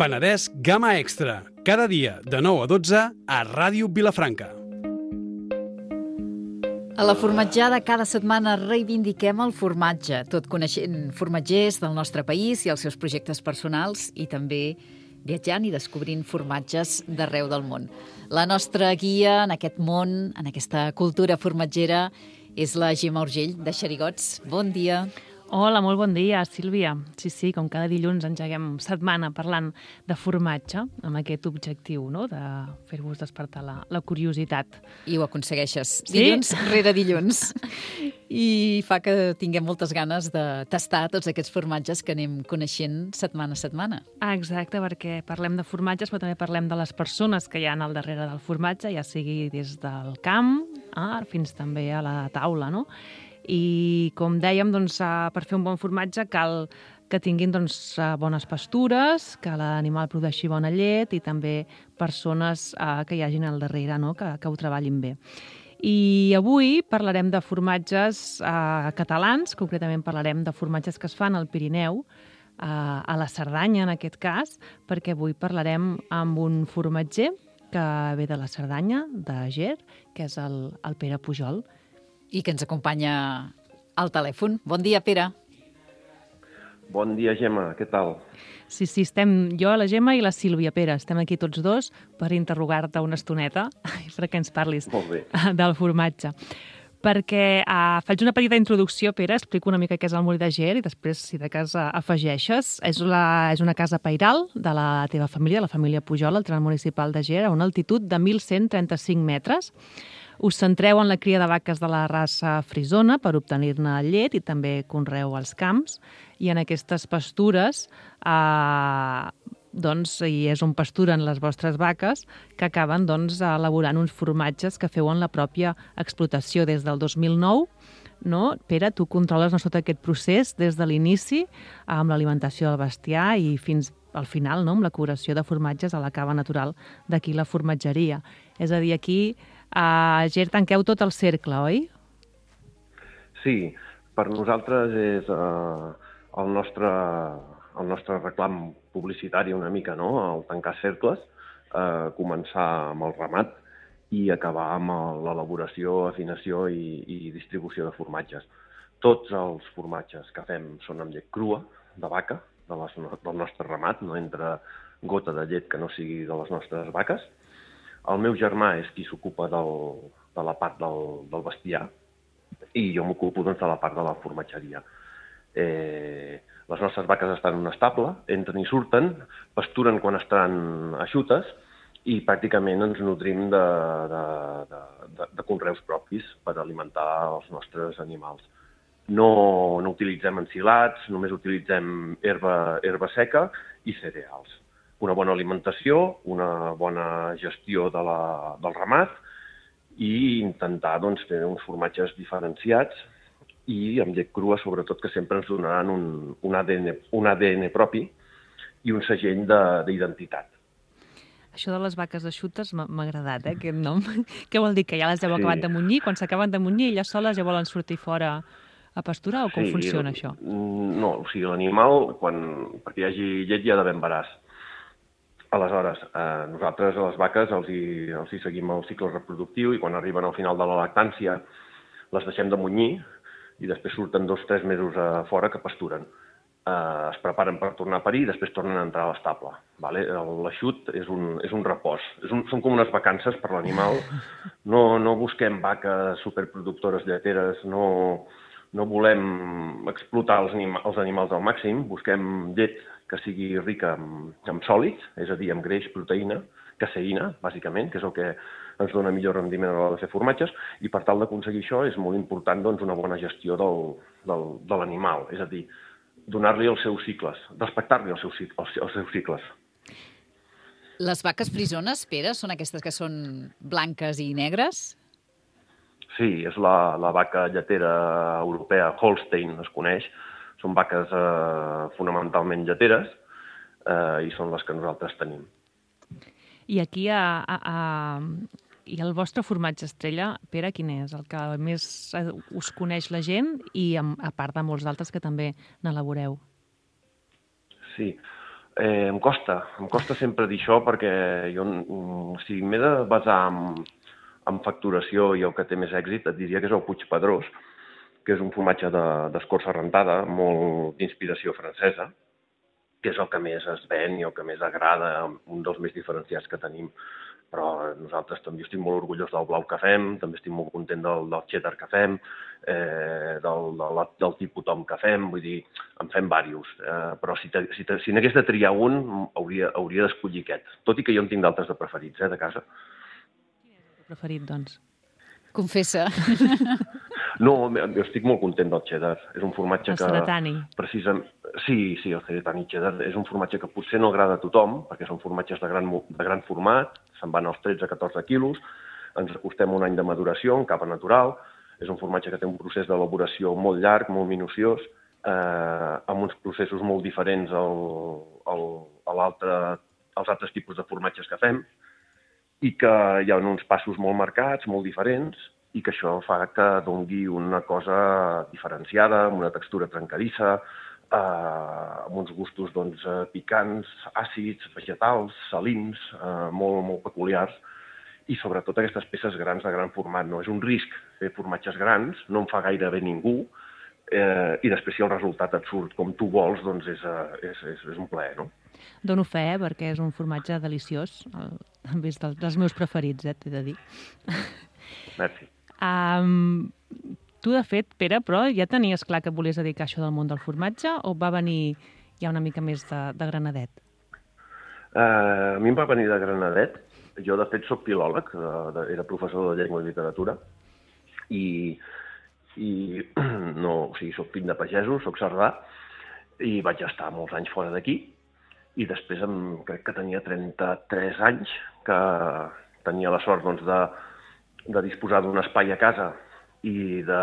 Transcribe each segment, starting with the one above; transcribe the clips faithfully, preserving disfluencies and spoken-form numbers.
Penedès Gamma Extra, cada dia de nou a dotze a Ràdio Vilafranca. A la formatjada cada setmana reivindiquem el formatge, tot coneixent formatgers del nostre país i els seus projectes personals i també viatjant i descobrint formatges d'arreu del món. La nostra guia en aquest món, en aquesta cultura formatgera, és la Gemma Urgell, de Xerigots. Bon dia. Hola, molt bon dia, Sílvia. Sí, sí, com cada dilluns engeguem setmana parlant de formatge, amb aquest objectiu, no?, de fer-vos despertar la, la curiositat. I ho aconsegueixes, sí? Dilluns rere dilluns. I fa que tinguem moltes ganes de tastar tots aquests formatges que anem coneixent setmana a setmana. Ah, exacte, perquè parlem de formatges, però també parlem de les persones que hi ha al darrere del formatge, ja sigui des del camp ah, fins també a la taula, no? I, com dèiem, doncs, per fer un bon formatge cal que tinguin doncs, bones pastures, que l'animal produeixi bona llet i també persones eh, que hi hagin al darrere, no?, que, que ho treballin bé. I avui parlarem de formatges eh, catalans, concretament parlarem de formatges que es fan al Pirineu, eh, a la Cerdanya en aquest cas, perquè avui parlarem amb un formatger que ve de la Cerdanya, de Ger, que és el, el Pere Pujol. I que ens acompanya al telèfon. Bon dia, Pere. Bon dia, Gemma. Què tal? Sí, sí, estem jo, la Gemma i la Sílvia, Pere. Estem aquí tots dos per interrogar-te una estoneta perquè ens parlis del formatge. Perquè uh, faig una petita introducció, Pere, explico una mica què és el Molí de Ger i després, si de cas, afegeixes. És, la, és una casa pairal de la teva família, la família Pujol, al tram municipal de Ger, a una altitud de mil cent trenta-cinc metres. Us centreu en la cria de vaques de la raça frisona per obtenir-ne llet i també conreu als camps. I en aquestes pastures, eh, doncs, hi és on pasturen les vostres vaques que acaben doncs, elaborant uns formatges que feu en la pròpia explotació des del dos mil nou. No? Pere, tu controles no, tot aquest procés des de l'inici amb l'alimentació del bestiar i fins al final, no? Amb la curació de formatges a la cava natural d'aquí la formatgeria. És a dir, aquí a Ger tanqueu tot el cercle, oi? Sí, per nosaltres és uh, el, nostre, el nostre reclam publicitari una mica, no?, el tancar cercles, uh, començar amb el ramat i acabar amb l'elaboració, afinació i, i distribució de formatges. Tots els formatges que fem són amb llet crua, de vaca, de les, del nostre ramat, no entra gota de llet que no sigui de les nostres vaques. El meu germà és qui s'ocupa de la part del, del bestiar i jo m'ocupo doncs, de la part de la formatgeria. Eh, les nostres vaques estan en un estable, entren i surten, pasturen quan estan eixutes i pràcticament ens nodrim de, de, de, de, de conreus propis per alimentar els nostres animals. No, no utilitzem ensilats, només utilitzem herba, herba seca i cereals. Una bona alimentació, una bona gestió de la, del ramat i intentar doncs, fer uns formatges diferenciats i amb llet crua, sobretot, que sempre ens donaran un, un, A D N, un A D N propi i un segell d'identitat. Això de les vaques eixutes m'ha agradat, eh, aquest nom. Què vol dir, que ja les heu sí. acabat de munyir? Quan s'acaben de munyir, elles soles ja volen sortir fora a pasturar o com sí, funciona això? No, o sigui, l'animal, quan perquè hi hagi llet, hi ha d'haver embaràs. Aleshores, eh, nosaltres a les vaques els hi, els hi seguim el cicle reproductiu i quan arriben al final de la lactància les deixem de munyir i després surten dos o tres mesos a fora que pasturen. Eh, es preparen per tornar a parir i després tornen a entrar a l'estable. Vale? L'eixut és un, és un repòs. És un, són com unes vacances per l'animal. No, no busquem vaques superproductores lleteres, no, no volem explotar els, anima, els animals al màxim, busquem llet que sigui rica en, en sòlids, és a dir, en greix, proteïna, caseïna, bàsicament, que és el que ens dona millor rendiment a l'hora de fer formatges, i per tal d'aconseguir això és molt important doncs, una bona gestió del, del, de l'animal, és a dir, donar-li els seus cicles, respectar-li els, seus, els, els seus cicles. Les vaques frisones, Pere, són aquestes que són blanques i negres? Sí, és la, la vaca lletera europea, Holstein, es coneix. Són vaques eh, fonamentalment lleteres eh, i són les que nosaltres tenim. I aquí a, a, a, i el vostre formatge estrella, Pere, quin és? El que més us coneix la gent i a part de molts altres que també n'elaboreu. Sí. Eh, em costa, em costa sempre dir això perquè jo, o sigui, m'he de basar en, en facturació i el que té més èxit, et diria que és el Puigpedrós, que és un formatge d'escorça rentada, molt d'inspiració francesa, que és el que més es ven i el que més agrada, un dels més diferenciats que tenim. Però nosaltres també estic molt orgullós del blau que fem, també estic molt content del, del cheddar que fem, eh, del, del, del tipus tom que fem, vull dir, en fem diversos. Eh, però si, te, si, te, si n'hagués de triar un, hauria, hauria d'escollir aquest. Tot i que jo en tinc d'altres de preferits, eh, de casa. Quin és el teu preferit, doncs? Confessa. No, jo estic molt content del cheddar. És un formatge el que... Ceretani. Precisament, sí, sí, el Ceretani cheddar és un formatge que potser no agrada a tothom, perquè són formatges de gran, de gran format, se'n van als tretze a catorze quilos, ens acostem un any de maduració en capa natural, és un formatge que té un procés d'elaboració molt llarg, molt minuciós, eh, amb uns processos molt diferents al, al, a l'altre, als altres tipus de formatges que fem, i que hi ha uns passos molt marcats, molt diferents, i que això fa que doni una cosa diferenciada, amb una textura trencadissa, eh, amb uns gustos doncs, picants, àcids, vegetals, salins, eh, molt, molt peculiars, i sobretot aquestes peces grans de gran format. No és un risc fer formatges grans, no en fa gaire bé ningú, eh, i després si el resultat et surt com tu vols, doncs és, és, és, és un plaer, no? Dono fe, eh, perquè és un formatge deliciós, el, també és dels meus preferits, eh, t'he de dir. Merci. Um, tu, de fet, Pere, però ja tenies clar que volies dedicar això del món del formatge o va venir ja una mica més de, de granadet? Uh, a mi em va venir de granadet. Jo, de fet, soc filòleg, de, de, era professor de llengua i literatura, i, i no, o sigui, soc fill de pagesos, soc cerdà, i vaig estar molts anys fora d'aquí, i després em, crec que tenia trenta-tres anys, que tenia la sort doncs, de, de disposar d'un espai a casa i de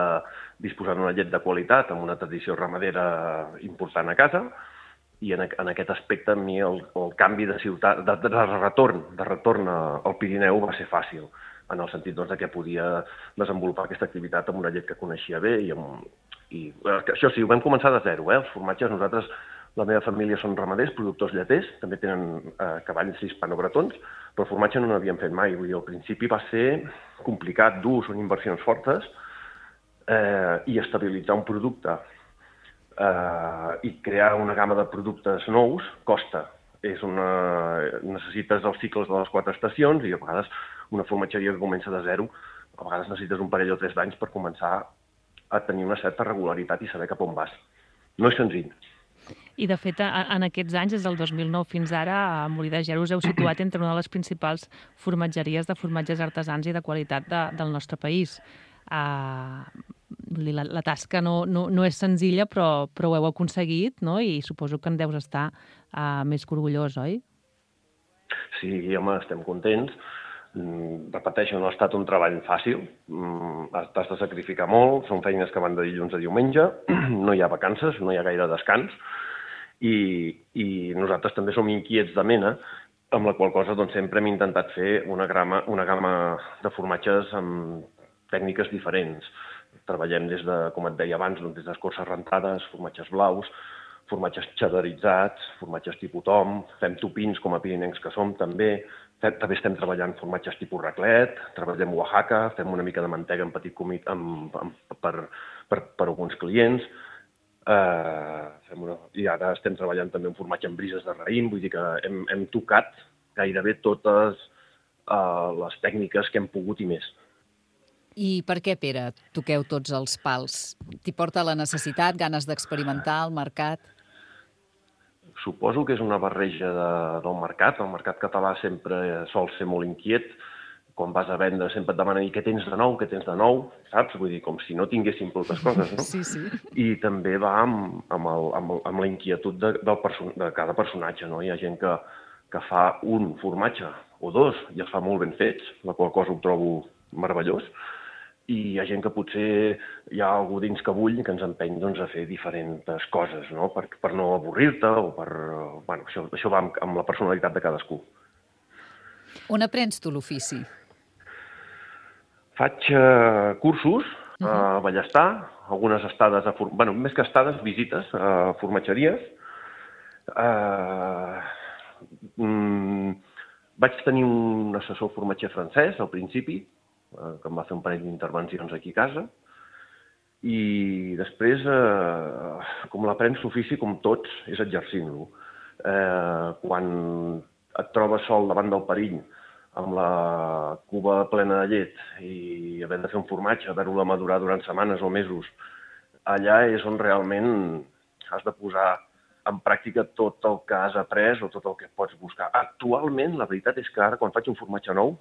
disposar d'una llet de qualitat amb una tradició ramadera important a casa, i en, en aquest aspecte a mi el, el canvi de ciutat, de, de retorn, de retorn al Pirineu va ser fàcil, en el sentit doncs, que podia desenvolupar aquesta activitat amb una llet que coneixia bé. I, amb, i això sí, ho vam començar de zero, eh? Els formatges, nosaltres, la meva família són ramaders, productors lleters, també tenen eh, cavalls hispanobretons, però el formatge no n'havíem fet mai. Vull dir, al principi va ser complicat, dur, són inversions fortes, eh, i estabilitzar un producte Uh, i crear una gamma de productes nous costa. És una... Necessites els cicles de les quatre estacions i a vegades una formatgeria que comença de zero, a vegades necessites un parell o tres d'anys per començar a tenir una certa regularitat i saber cap on vas. No és senzill. I, de fet, en aquests anys, des del dos mil nou fins ara, a Molí de Ger us heu situat entre una de les principals formatgeries de formatges artesans i de qualitat de, del nostre país. Uh, la, la tasca no, no, no és senzilla, però, però ho heu aconseguit, no? I suposo que en deus estar uh, més que orgullós, oi? Sí, home, estem contents. Mm, repeteixo, no ha estat un treball fàcil. Mm, t'has de sacrificar molt, són feines que van de dilluns a diumenge, no hi ha vacances, no hi ha gaire descans, i, i nosaltres també som inquiets de mena, amb la qual cosa doncs, sempre hem intentat fer una, grama, una gamma de formatges amb tècniques diferents. Treballem des de, com et deia abans, doncs, des d'escorces rentades, formatges blaus, formatges cheddaritzats, formatges tipus tom, fem topins com a pirinencs que som també, també estem treballant formatges tipus raclet, treballem Oaxaca, fem una mica de mantega en petit comit amb, amb, per, per, per alguns clients, uh, fem una, i ara estem treballant també un formatge amb brises de raïm, vull dir que hem, hem tocat gairebé totes uh, les tècniques que hem pogut i més. I per què, Pere, toqueu tots els pals? T'hi porta la necessitat, ganes d'experimentar al mercat? Suposo que és una barreja de, del mercat. El mercat català sempre sol ser molt inquiet. Quan vas a vendre sempre et demanen què tens de nou, què tens de nou, saps? Vull dir, com si no tinguéssim moltes coses, no? Sí, sí. I també va amb, amb, el, amb, amb la inquietud de, del perso de cada personatge, no? Hi ha gent que, que fa un formatge o dos i els fa molt ben fets, la qual cosa ho trobo meravellós, i hi ha gent que potser hi ha algú dins que bull que ens empeny doncs, a fer diferents coses, no? Per, per no avorrir-te o per... Bueno, això, això va amb, amb la personalitat de cadascú. On aprens tu l'ofici? Faig uh, cursos uh-huh. a Ballestar, algunes estades, a, bueno, més que estades, visites a formatgeries. Uh, Mm, vaig tenir un assessor formatger francès al principi, eh, que em va fer un parell d'intervencions aquí a casa, i després, eh, com l'aprens l'ofici, com tots, és exercint-lo. Eh, quan et trobes sol davant del perill, amb la cuba plena de llet i havent de fer un formatge, haver-ho de madurar durant setmanes o mesos, allà és on realment has de posar en pràctica tot el que has après o tot el que pots buscar. Actualment, la veritat és que ara, quan faig un formatge nou,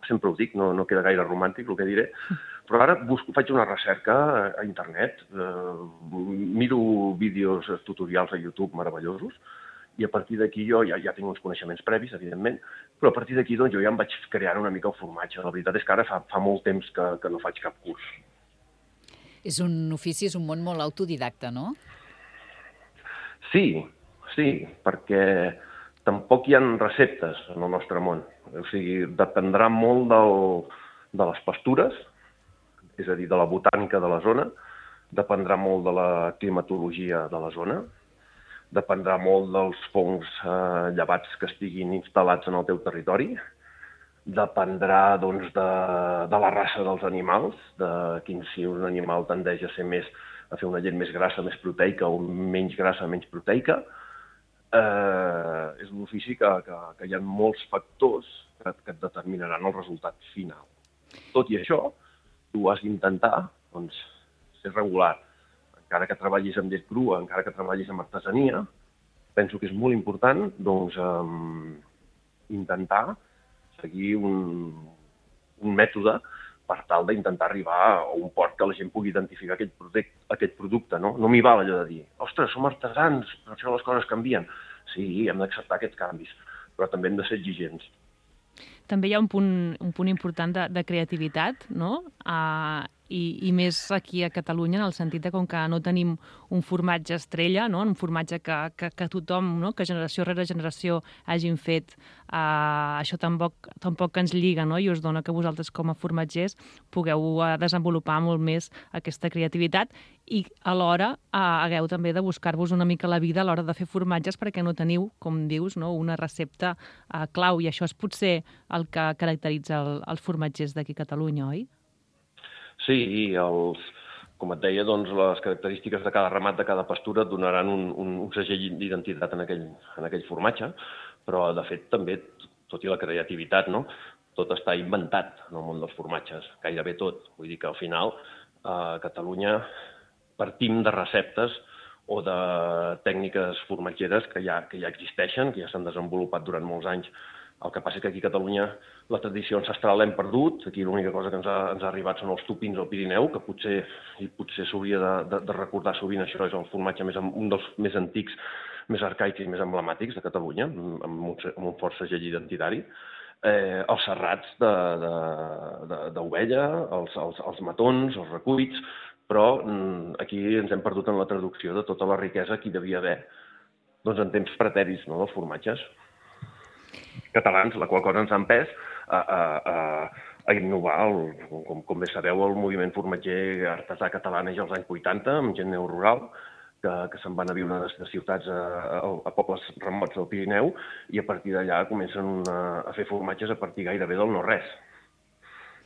sempre ho dic, no, no queda gaire romàntic el que diré, però ara busco, faig una recerca a internet, eh, miro vídeos tutorials a YouTube meravellosos, i a partir d'aquí jo ja, ja tinc uns coneixements previs, evidentment, però a partir d'aquí doncs, jo ja em vaig crear una mica el formatge. La veritat és que ara fa, fa molt temps que, que no faig cap curs. És un ofici, és un món molt autodidacte, no? Sí, sí, perquè tampoc hi ha receptes en el nostre món. O sigui, dependrà molt del, de les pastures, és a dir, de la botànica de la zona, dependrà molt de la climatologia de la zona, dependrà molt dels fongs eh, llevats que estiguin instal·lats en el teu territori, dependrà doncs, de, de la raça dels animals, de quin si un animal tendeix a ser més, a fer una llet més grassa, més proteica, o menys grassa, menys proteica. Eh, és un ofici que, que, que hi ha molts factors que, que et determinaran el resultat final. Tot i això, tu has d'intentar doncs, ser regular. Encara que treballis amb llet crua, encara que treballis amb artesania, penso que és molt important doncs, um, intentar seguir un, un mètode per tal d'intentar arribar a un port que la gent pugui identificar aquest, product, aquest producte. No, no m'hi val allò de dir, ostres, som artesans, per això les coses canvien. Sí, hem d'acceptar aquests canvis, però també hem de ser exigents. També hi ha un punt, un punt important de, de creativitat, no? Uh, i, i més aquí a Catalunya, en el sentit de com que no tenim un formatge estrella, no? Un formatge que, que, que tothom, no? Que generació rere generació hagin fet, uh, això tampoc, tampoc ens lliga, no? I us dona que vosaltres com a formatgers pugueu uh, desenvolupar molt més aquesta creativitat i alhora uh, hagueu també de buscar-vos una mica la vida a l'hora de fer formatges perquè no teniu, com dius, no? Una recepta uh, clau, i això és potser el que caracteritza el, els formatgers d'aquí a Catalunya, oi? Sí, i els, com et deia, doncs, les característiques de cada ramat, de cada pastura, et donaran un, un, un segell d'identitat en aquell, en aquell formatge, però, de fet, també, tot i la creativitat, no? Tot està inventat en el món dels formatges, gairebé tot. Vull dir que, al final, a Catalunya partim de receptes o de tècniques formatgeres que ja, que ja existeixen, que ja s'han desenvolupat durant molts anys. El que passa és que aquí a Catalunya la tradició ancestral l'hem perdut. Aquí l'única cosa que ens ha, ens ha arribat són els tupins al Pirineu, que potser i potser s'hauria de, de, de recordar sovint. Això és el formatge més, un dels més antics, més arcaics i més emblemàtics de Catalunya, amb un, amb un fort segell identitari. Eh, els serrats d'ovella, els, els, els matons, els recuits, però aquí ens hem perdut en la traducció de tota la riquesa que hi devia haver doncs, en temps pretèrits, no, dels formatges catalans, la qual cosa ens ha empès a, a, a, a innovar, el, com, com bé sabeu, el moviment formatger artesà català neix als anys vuitanta, amb gent neorural, que, que se'n van a viure de ciutats a, a, a pobles remots del Pirineu, i a partir d'allà comencen a, a fer formatges a partir gairebé del no-res.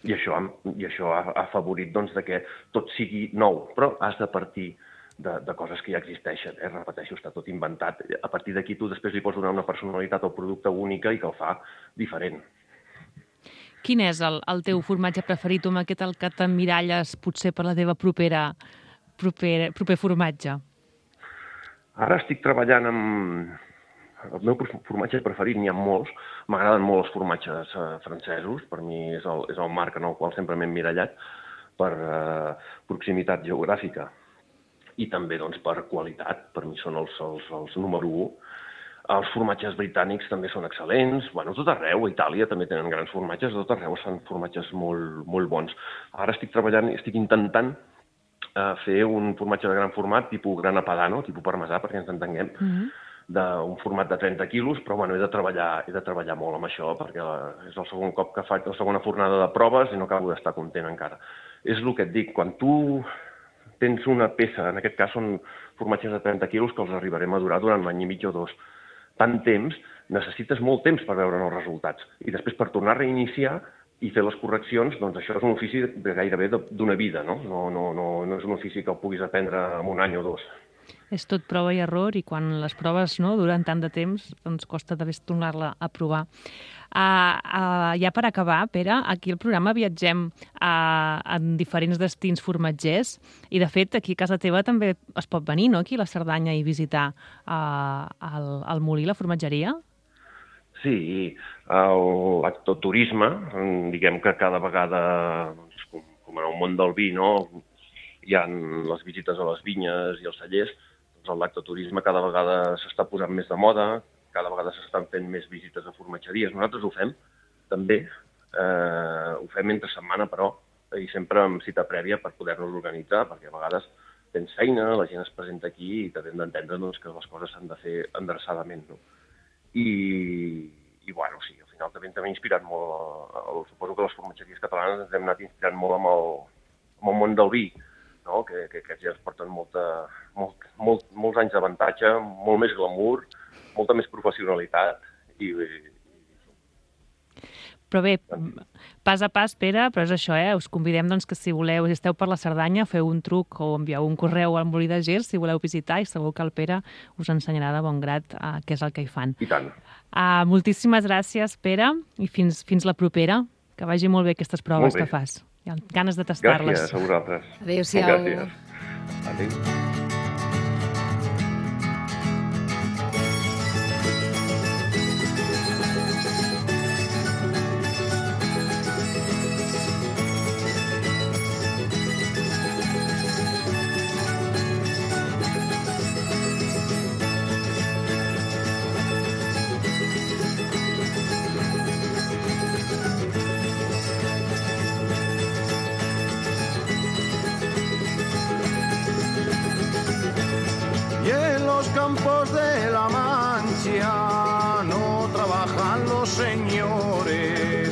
I això, i això ha, ha afavorit doncs, de que tot sigui nou, però has de partir De, de coses que ja existeixen, eh? Repeteixo, està tot inventat. A partir d'aquí tu després li pots donar una personalitat al producte única i que el fa diferent. Quin és el, el teu formatge preferit, o amb aquest el que t'emmiralles potser per la teva propera, proper, proper formatge? Ara estic treballant amb... El meu formatge preferit, n'hi ha molts. M'agraden molt els formatges eh, francesos. Per mi és el, és el marc en el qual sempre m'he emmirallat per eh, proximitat geogràfica. I també doncs, per qualitat, per mi són els, els, els número u. Els formatges britànics també són excel·lents. Bueno, tot arreu, a Itàlia també tenen grans formatges, tot arreu són formatges molt, molt bons. Ara estic treballant, estic intentant eh, fer un formatge de gran format, tipus grana padano, tipus parmesà, perquè ens entenguem, mm-hmm. d'un format de trenta quilos, però bueno, he de treballar, he de treballar molt amb això, perquè la, és el segon cop que faig, la segona fornada de proves i no acabo d'estar content encara. És el que et dic, quan tu tens una peça, en aquest cas són formatges de trenta quilos que els arribarem a durar durant un any i mig o dos. Tant temps necessites molt temps per veure els resultats. I després per tornar a reiniciar i fer les correccions, doncs això és un ofici de gairebé d'una vida, no? No, no, no, no és un ofici que el puguis aprendre en un any o dos. És tot prova i error, i quan les proves no, duren tant de temps, doncs costa també tornar-la a provar. Uh, uh, ja per acabar, Pere, aquí al programa viatgem uh, en diferents destins formatgers, i de fet aquí a casa teva també es pot venir, no?, aquí a la Cerdanya i visitar uh, el, el molí, la formatgeria. Sí, l'actoturisme, diguem que cada vegada, doncs, com, com en el món del vi, no?, hi ha les visites a les vinyes i els cellers, doncs l'actoturisme cada vegada s'està posant més de moda, cada vegada s'estan fent més visites a formatgeries. Nosaltres ho fem, també, eh, ho fem entre setmana, però, i sempre amb cita prèvia per poder-nos organitzar, perquè a vegades tens feina, la gent es presenta aquí i t'hem d'entendre doncs, que les coses s'han de fer endreçadament, no? I, i bueno, sí, al final també ens hem inspirat molt, el, suposo que les formatgeries catalanes ens hem anat inspirant molt amb el, amb el món del vi, no? que, que, que ja ens porten molta, molt, molt, molts anys d'avantatge, molt més glamour, molta més professionalitat. I, i... Però bé, pas a pas, Pere, però és això, eh? Us convidem doncs, que si voleu, si esteu per la Cerdanya, feu un truc o envieu un correu al Molí de Gers si voleu visitar, i segur que el Pere us ensenyarà de bon grat uh, què és el que hi fan. I tant. Uh, moltíssimes gràcies, Pere, i fins, fins la propera. Que vagi molt bé aquestes proves que fas. Hi ha ganes de tastar-les. Gràcies a vosaltres. Adéu-siau. Gràcies. Adéu. Campos de la Mancha no trabajan los señores,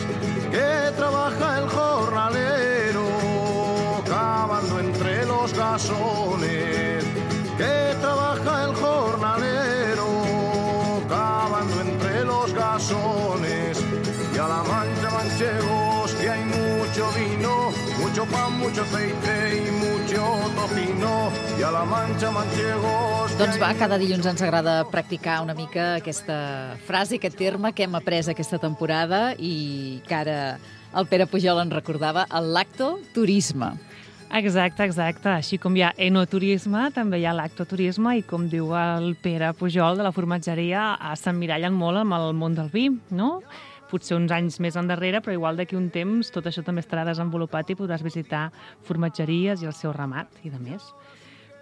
que trabaja el jornalero cavando entre los gasones, que trabaja el jornalero cavando entre los gasones. Y a la Mancha, manchegos, que hay mucho vino, mucho pan, mucho aceite y mucho tocino. I a la Mancha, manchegos... Doncs va, cada dilluns ens agrada practicar una mica aquesta frase, aquest terme que hem après aquesta temporada i que ara el Pere Pujol en recordava, el lactoturisme. Exacte, exacte. Així com hi ha enoturisme, també hi ha lactoturisme, i com diu el Pere Pujol de la formatgeria, s'emmirallen molt amb el món del vi, no? Potser uns anys més endarrere, però igual d'aquí un temps tot això també estarà desenvolupat i podràs visitar formatgeries i el seu ramat i de més.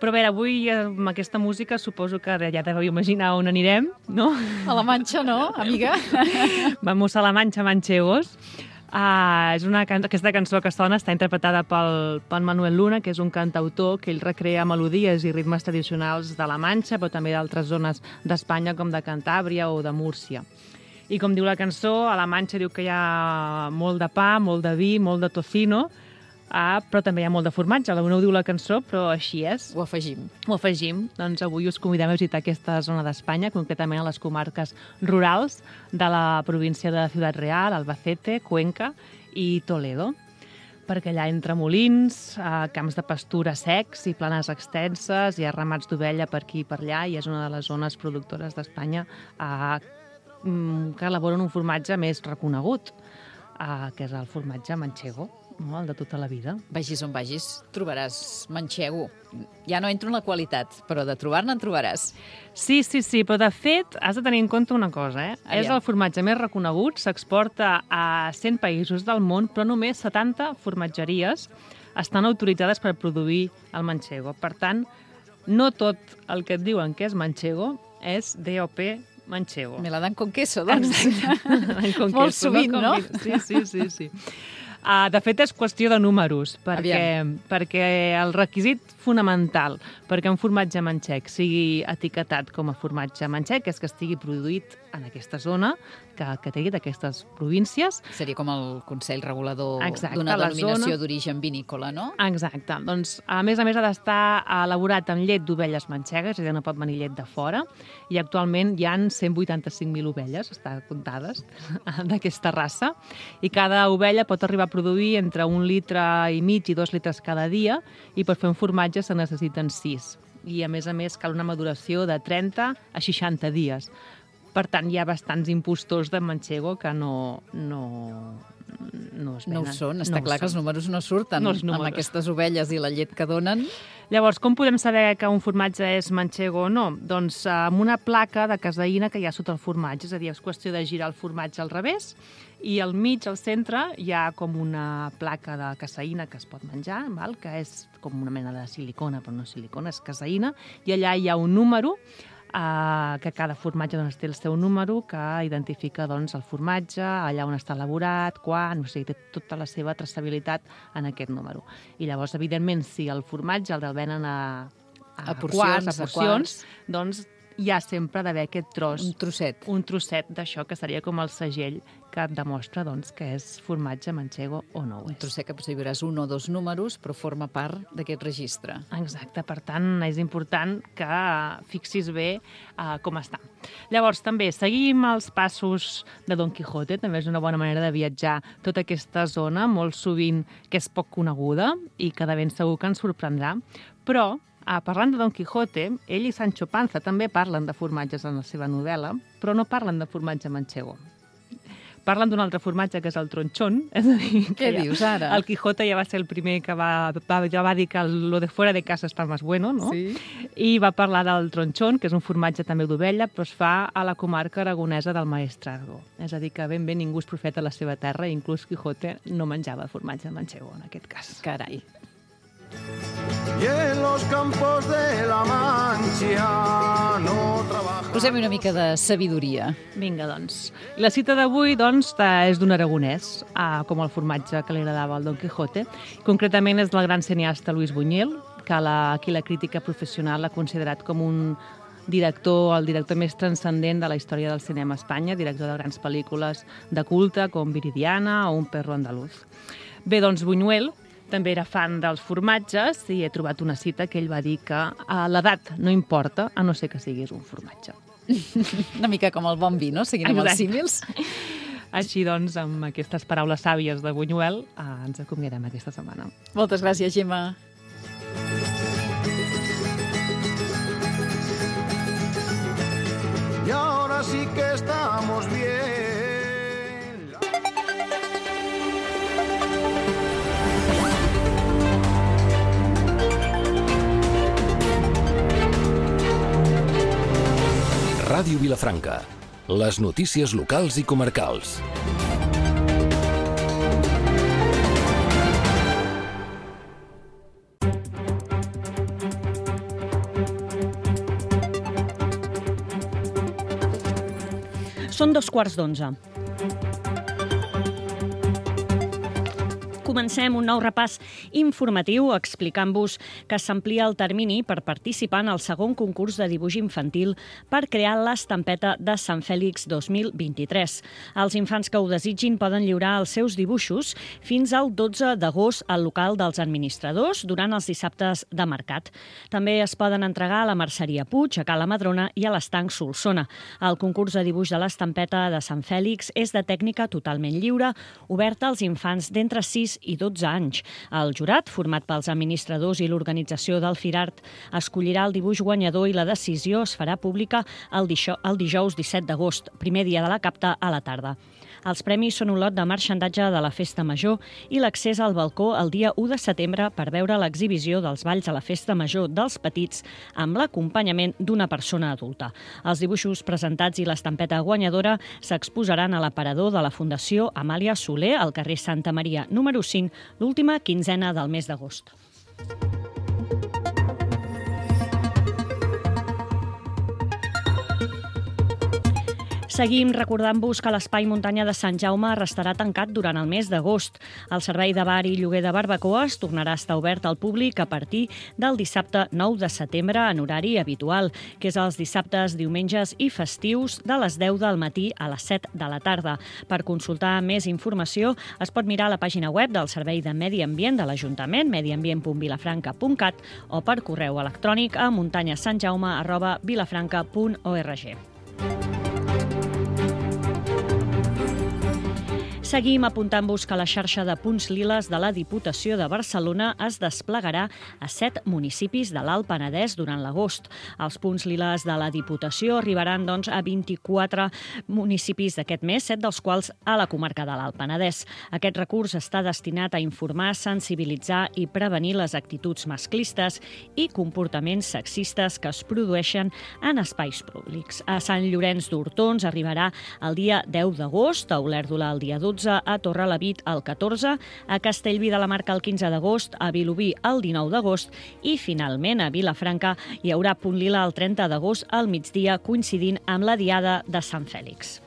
Però a veure, avui amb aquesta música suposo que ja deveu imaginar on anirem, no? A la Manxa, no, amiga? Vamos a la Mancha, manchegos. Uh, és una can... Aquesta cançó que sona està interpretada pel, pel Manuel Luna, que és un cantautor que ell recrea melodies i ritmes tradicionals de la Manxa, però també d'altres zones d'Espanya, com de Cantàbria o de Múrcia. I com diu la cançó, a la Manxa diu que hi ha molt de pa, molt de vi, molt de tocino, ah, però també hi ha molt de formatge. No ho diu la cançó, però així és. Ho afegim. Ho afegim. Doncs avui us convidem a visitar aquesta zona d'Espanya, concretament a les comarques rurals de la província de Ciudad Real, Albacete, Cuenca i Toledo. Perquè allà entre molins, eh, camps de pastura secs i planes extenses, hi ha ramats d'ovella per aquí i per allà, i és una de les zones productores d'Espanya eh, que elaboren un formatge més reconegut, eh, que és el formatge manchego, no? El de tota la vida. Vagis on vagis, trobaràs manchego. Ja no entro en la qualitat, però de trobar-ne en trobaràs. Sí, sí, sí, però de fet has de tenir en compte una cosa, eh? Aviam. És el formatge més reconegut, s'exporta a cent països del món, però només setanta formatgeries estan autoritzades per produir el manchego. Per tant, no tot el que et diuen que és manchego és D O P manchego. Me la dan con queso, doncs. Con Molt queso, sovint, no? Sí, sí, sí, sí. Uh, de fet, és qüestió de números, perquè, perquè el requisit fonamental perquè un formatge manxec sigui etiquetat com a formatge manxec és que estigui produït en aquesta zona, que, que té d'aquestes províncies. Seria com el Consell Regulador Exacte, d'una la denominació zona. d'origen vinícola, no? Exacte. Doncs, a més a més, ha d'estar elaborat amb llet d'ovelles manxegues, és a dir, no pot venir llet de fora, i actualment hi ha cent vuitanta-cinc mil ovelles, està comptades, d'aquesta raça, i cada ovella pot arribar a produir entre un litre i mig i dos litres cada dia, i per fer un formatge se necessiten sis. I, a més a més, cal una maduració de trenta a seixanta dies. Per tant, hi ha bastants impostors de manchego que no, no, no es venen. No ho són, està no clar que els números no surten no els números. amb aquestes ovelles i la llet que donen. Llavors, com podem saber que un formatge és manchego o no? Doncs amb una placa de caseïna que hi ha sota el formatge, és a dir, és qüestió de girar el formatge al revés, i al mig, al centre, hi ha com una placa de caseïna que es pot menjar, val? Que és com una mena de silicona, però no silicona, és caseïna, i allà hi ha un número, eh, que cada formatge doncs, té el seu número, que identifica doncs, el formatge, allà on està elaborat, quan, o sigui, té tota la seva traçabilitat en aquest número. I llavors, evidentment, si el formatge el venen a, a, A porcions, quarts, a a porcions, quarts. doncs hi ha sempre d'haver aquest tros, Un trosset. un trosset d'això, que seria com el segell que et demostra doncs, que és formatge manchego o no ho Un és. trosset que potser hi veuràs un o dos números, però forma part d'aquest registre. Exacte, per tant, és important que fixis bé uh, com està. Llavors, també, seguim els passos de Don Quijote, també és una bona manera de viatjar tota aquesta zona, molt sovint que és poc coneguda i que de ben segur que ens sorprendrà, però Ah, parlant de Don Quijote, ell i Sancho Panza també parlen de formatges en la seva novel·la, però no parlen de formatge manchego. Parlen d'un altre formatge, que és el tronchón. És a dir, Què ja, dius ara? El Quijote ja va ser el primer que va, va, ja va dir que lo de fuera de casa està més bueno, no? Sí. I va parlar del tronchón, que és un formatge també d'ovella, però es fa a la comarca aragonesa del Maestrazgo. És a dir, que ben bé ningú és profeta a la seva terra, i inclús Quijote no menjava formatge manchego, en aquest cas. Carai. Y en los campos de la Mancha no trabaja. Posem una mica de sabidoria. Vinga, doncs. I la cita d'avui, doncs, és d'un aragonès, ah, com el formatge que li agradava al Don Quijote. Concretament és del gran cineasta Luis Buñuel, que la, aquí la crítica professional l'ha considerat com un director, el director més transcendent de la història del cinema a Espanya, director de grans pel·lícules de culte com Viridiana o Un perro andaluz. Bé, doncs, Buñuel també era fan dels formatges i he trobat una cita que ell va dir que l'edat no importa, a no ser que siguis un formatge. Una mica com el bon vi, no? Seguint amb els Exacte. símils. Així doncs, amb aquestes paraules sàvies de Buñuel, eh, ens acomiadem aquesta setmana. Moltes gràcies, Gemma. Y ahora sí que estamos bien. Ràdio Vilafranca. Les notícies locals i comarcals. Són dos quarts d'onze. Comencem un nou repàs informatiu explicant-vos que s'amplia el termini per participar en el segon concurs de dibuix infantil per crear l'estampeta de Sant Fèlix dos mil vint-i-tres. Els infants que ho desitgin poden lliurar els seus dibuixos fins al dotze d'agost al local dels administradors durant els dissabtes de mercat. També es poden entregar a la Merceria Puig, a Cala Madrona i a l'Estanc Solsona. El concurs de dibuix de l'estampeta de Sant Fèlix és de tècnica totalment lliure, oberta als infants d'entre sis i dotze anys. El jurat, format pels administradors i l'organització del Firart, escollirà el dibuix guanyador i la decisió es farà pública el dijous disset d'agost, primer dia de la capta a la tarda. Els premis són un lot de marxandatge de la Festa Major i l'accés al balcó el dia u de setembre per veure l'exhibició dels balls a la Festa Major dels petits amb l'acompanyament d'una persona adulta. Els dibuixos presentats i l'estampeta guanyadora s'exposaran a l'aparador de la Fundació Amàlia Soler al carrer Santa Maria número cinc, l'última quinzena del mes d'agost. Seguim recordant-vos que l'Espai Muntanya de Sant Jaume restarà tancat durant el mes d'agost. El servei de bar i lloguer de barbacoes tornarà a estar obert al públic a partir del dissabte nou de setembre en horari habitual, que és els dissabtes, diumenges i festius de les deu del matí a les set de la tarda. Per consultar més informació es pot mirar a la pàgina web del Servei de Medi Ambient de l'Ajuntament, mediambient punt vilafranca punt cat, o per correu electrònic a muntanyasantjaume arroba vilafranca punt org. Seguim apuntant-vos que la xarxa de punts liles de la Diputació de Barcelona es desplegarà a set municipis de l'Alt Penedès durant l'agost. Els punts liles de la Diputació arribaran doncs, a vint-i-quatre municipis d'aquest mes, set dels quals a la comarca de l'Alt Penedès. Aquest recurs està destinat a informar, sensibilitzar i prevenir les actituds masclistes i comportaments sexistes que es produeixen en espais públics. A Sant Llorenç d'Hortons arribarà el dia deu d'agost, a Olèrdola el dia dotze, a Torrelavit el catorze, a Castellví de la Marca el quinze d'agost, a Vilobí el dinou d'agost i, finalment, a Vilafranca hi haurà punt lila el trenta d'agost al migdia, coincidint amb la Diada de Sant Fèlix.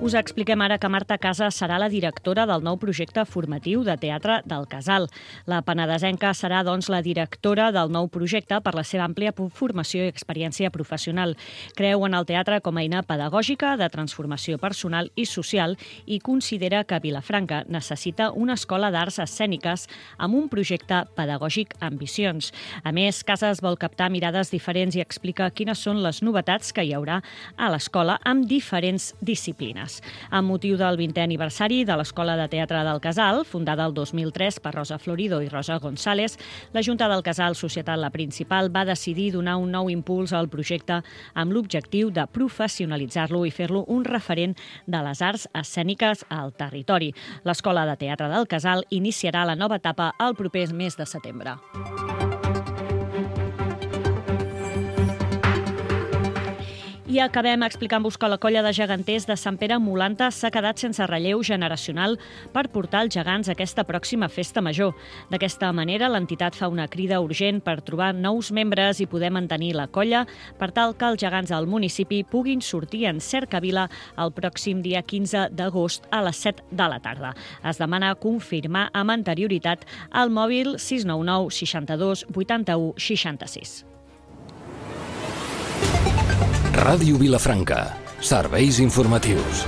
Us expliquem ara que Marta Casas serà la directora del nou projecte formatiu de teatre del Casal. La penedesenca serà, doncs, la directora del nou projecte per la seva àmplia formació i experiència professional. Creu en el teatre com a eina pedagògica, de transformació personal i social i considera que Vilafranca necessita una escola d'arts escèniques amb un projecte pedagògic ambiciós. A més, Casas vol captar mirades diferents i explica quines són les novetats que hi haurà a l'escola amb diferents disciplines. Amb motiu del vintè aniversari de l'Escola de Teatre del Casal, fundada el dos mil tres per Rosa Florido i Rosa González, la Junta del Casal Societat La Principal va decidir donar un nou impuls al projecte amb l'objectiu de professionalitzar-lo i fer-lo un referent de les arts escèniques al territori. L'Escola de Teatre del Casal iniciarà la nova etapa el proper mes de setembre. I acabem explicant-vos que la colla de geganters de Sant Pere Molanta s'ha quedat sense relleu generacional per portar els gegants a aquesta pròxima festa major. D'aquesta manera, l'entitat fa una crida urgent per trobar nous membres i poder mantenir la colla per tal que els gegants del municipi puguin sortir en cercavila el pròxim dia quinze d'agost a les set de la tarda. Es demana confirmar amb anterioritat al mòbil sis nou nou seixanta-dos vuitanta-u seixanta-sis. Ràdio Vilafranca. Serveis informatius.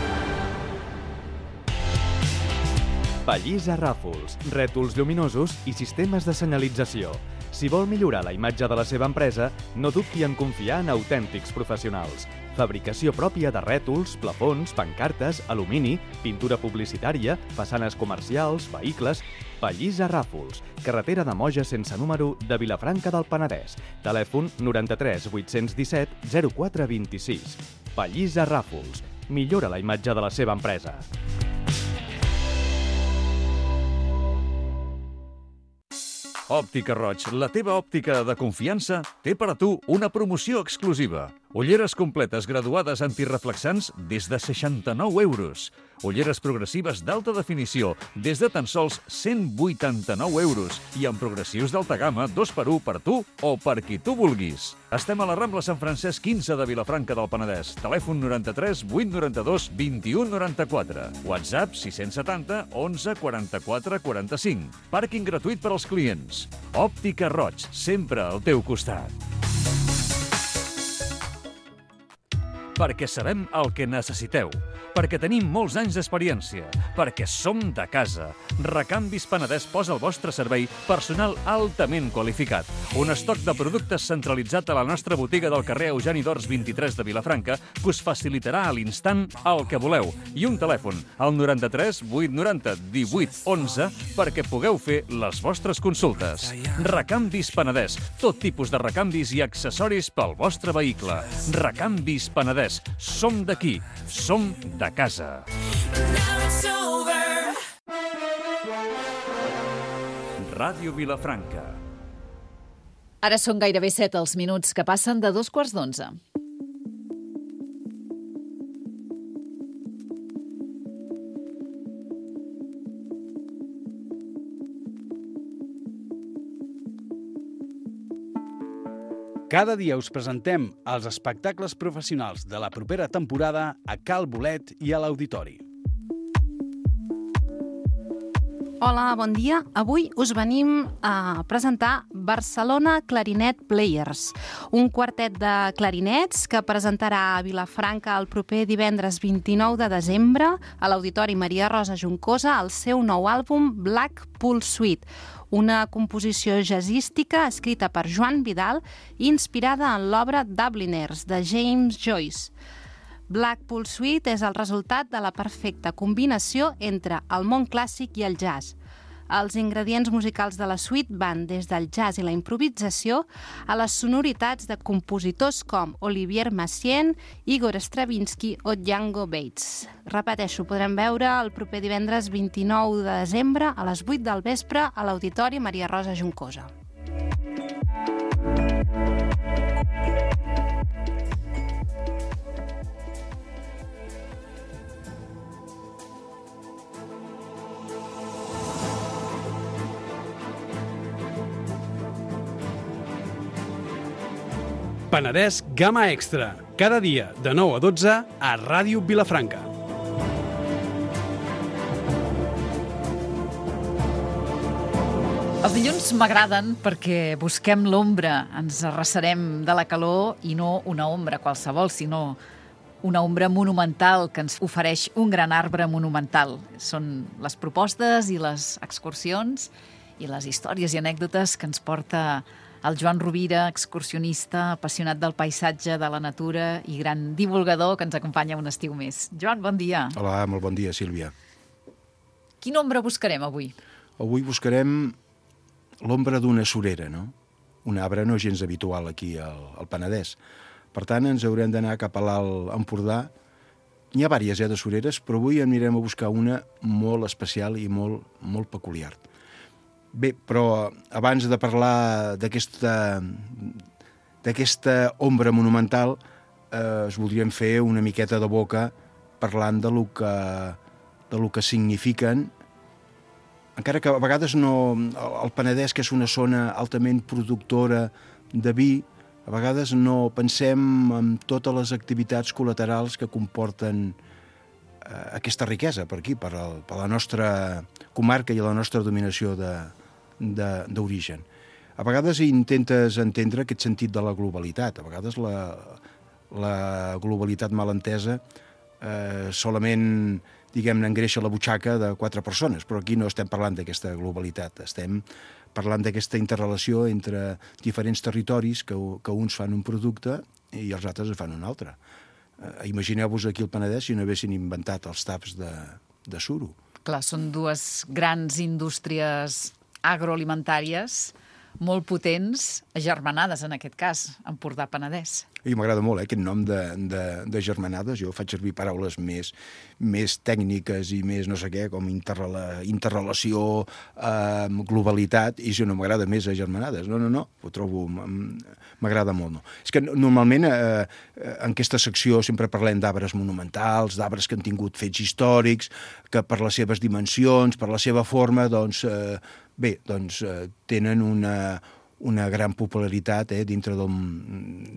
Pallissa Ràfols, rètols lluminosos i sistemes de senyalització. Si vol millorar la imatge de la seva empresa, no dubti en confiar en autèntics professionals. Fabricació pròpia de rètols, plafons, pancartes, alumini, pintura publicitària, façanes comercials, vehicles... Pallissa Ràfols, carretera de Moja sense número de Vilafranca del Penedès. Telèfon noranta-tres vuit-cents disset zero quatre vint-i-sis. Pallissa Ràfols. Millora la imatge de la seva empresa. Òptica Roig, la teva òptica de confiança, té per a tu una promoció exclusiva. Ulleres completes graduades antireflexants des de seixanta-nou euros. Ulleres progressives d'alta definició des de tan sols cent vuitanta-nou euros i amb progressius d'alta gamma dos per u per tu o per qui tu vulguis. Estem a la Rambla Sant Francesc quinze de Vilafranca del Penedès. Telèfon noranta-tres vuit noranta-dos vint-i-u noranta-quatre. WhatsApp sis setanta onze quaranta-quatre quaranta-cinc. Pàrquing gratuït per als clients. Òptica Roig, sempre al teu costat. Perquè sabem el que necessiteu, perquè tenim molts anys d'experiència, perquè som de casa. Recanvis Penedès posa al vostre servei personal altament qualificat. Un estoc de productes centralitzat a la nostra botiga del carrer Eugeni d'Ors vint-i-tres de Vilafranca que us facilitarà a l'instant el que voleu. I un telèfon, al noranta-tres vuit noranta divuit onze, perquè pugueu fer les vostres consultes. Recanvis Penedès, tot tipus de recanvis i accessoris pel vostre vehicle. Recanvis Penedès. Som d'aquí, som de casa. Ràdio Vilafranca. Ara són gairebé set els minuts que passen de dos quarts d'onze. Cada dia us presentem els espectacles professionals de la propera temporada a Cal Bolet i a l'Auditori. Hola, bon dia. Avui us venim a presentar Barcelona Clarinet Players, un quartet de clarinets que presentarà a Vilafranca el proper divendres vint-i-nou de desembre a l'Auditori Maria Rosa Juncosa el seu nou àlbum Blackpool Suite, una composició jazzística escrita per Joan Vidal i inspirada en l'obra Dubliners de James Joyce. Blackpool Suite és el resultat de la perfecta combinació entre el món clàssic i el jazz. Els ingredients musicals de la suite van des del jazz i la improvisació a les sonoritats de compositors com Olivier Messiaen, Igor Stravinsky o Django Bates. Repeteixo, podrem veure el proper divendres vint-i-nou de desembre a les vuit del vespre a l'Auditori Maria Rosa Juncosa. Penedès Gamma Extra, cada dia de nou a dotze a Ràdio Vilafranca. Els dilluns m'agraden perquè busquem l'ombra, ens arrecerem de la calor i no una ombra qualsevol, sinó una ombra monumental que ens ofereix un gran arbre monumental. Són les propostes i les excursions i les històries i anècdotes que ens porta el Joan Rovira, excursionista, apassionat del paisatge, de la natura i gran divulgador que ens acompanya un estiu més. Joan, bon dia. Hola, molt bon dia, Sílvia. Quina ombra buscarem avui? Avui buscarem l'ombra d'una surera, no? Un arbre no gens habitual aquí al, al Penedès. Per tant, ens haurem d'anar cap a l'Alt Empordà. N'hi ha diverses eh, de sureres, però avui anirem a buscar una molt especial i molt, molt peculiar. Bé, però abans de parlar d'aquesta d'aquesta ombra monumental, eh, us voldríem fer una miqueta de boca parlant de lo que, de lo que signifiquen, encara que a vegades no, el Penedès, que és una zona altament productora de vi, a vegades no pensem en totes les activitats col·laterals que comporten eh, aquesta riquesa per aquí, per, el, per la nostra comarca i la nostra dominació de d'origen. A vegades intentes entendre aquest sentit de la globalitat. A vegades la, la globalitat mal entesa eh, solament, diguem-ne, engreixa la butxaca de quatre persones, però aquí no estem parlant d'aquesta globalitat, estem parlant d'aquesta interrelació entre diferents territoris que, que uns fan un producte i els altres fan un altre. Eh, Imagineu-vos aquí al Penedès si no haguessin inventat els taps de, de suro. Clar, són dues grans indústries agroalimentàries molt potents, agermanades en aquest cas, Empordà-Penedès. I m'agrada molt, eh, aquest nom de, de, de germanades. Jo faig servir paraules més, més tècniques i més no sé què, com interrela, interrelació, eh, globalitat, i si no m'agrada més a germanades. No, no, no, ho trobo, m'agrada molt. No. És que normalment eh, en aquesta secció sempre parlem d'arbres monumentals, d'arbres que han tingut fets històrics, que per les seves dimensions, per la seva forma, doncs, eh, bé, doncs eh, tenen una... una gran popularitat eh, dintre, del,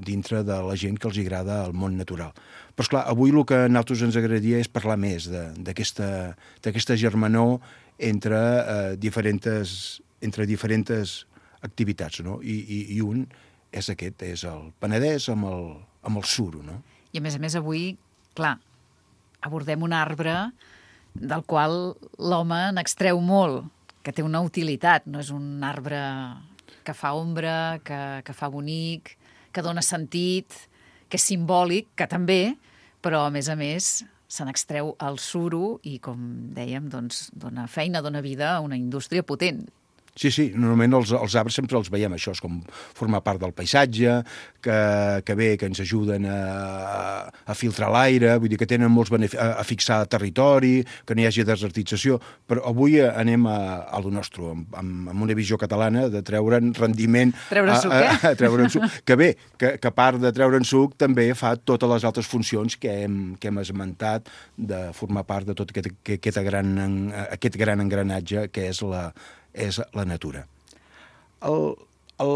dintre de la gent que els agrada el món natural. Però, esclar, avui el que a nosaltres ens agradaria és parlar més d'aquesta germanor entre, eh, diferents, entre diferents activitats, no? I, i, i un és aquest, és el Penedès amb el, amb el suro, no? I, a més a més, avui, clar, abordem un arbre del qual l'home n'extreu molt, que té una utilitat, no és un arbre que fa ombra, que, que fa bonic, que dona sentit, que és simbòlic, que també, però, a més a més, se n'extreu el suro i, com dèiem, doncs, dona feina, dona vida a una indústria potent. Sí, sí, normalment els, els arbres sempre els veiem això, és com formar part del paisatge, que, que bé, que ens ajuden a, a filtrar l'aire, vull dir que tenen molts beneficis, a, a fixar territori, que no hi hagi desertització, però avui anem a, a lo nostre, amb, amb una visió catalana de treure'n rendiment... Treure'n suc, eh? A, a, treure'n suc, que bé, que, que a part de treure'n suc també fa totes les altres funcions que hem, que hem esmentat de formar part de tot aquest, aquest, gran, aquest gran engranatge que és la és la natura. El, el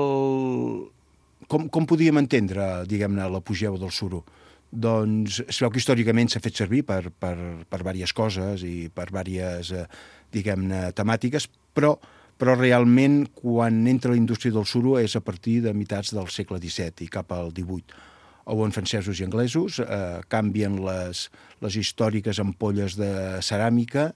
com, com podíem entendre, diguem-ne, l'apogeu del suro? Doncs es veu que històricament s'ha fet servir per, per, per diverses coses i per diverses, eh, diguem-ne, temàtiques, però, però realment quan entra la indústria del suro és a partir de mitats del segle disset i cap al divuit. On francesos i anglesos eh, canvien les, les històriques ampolles de ceràmica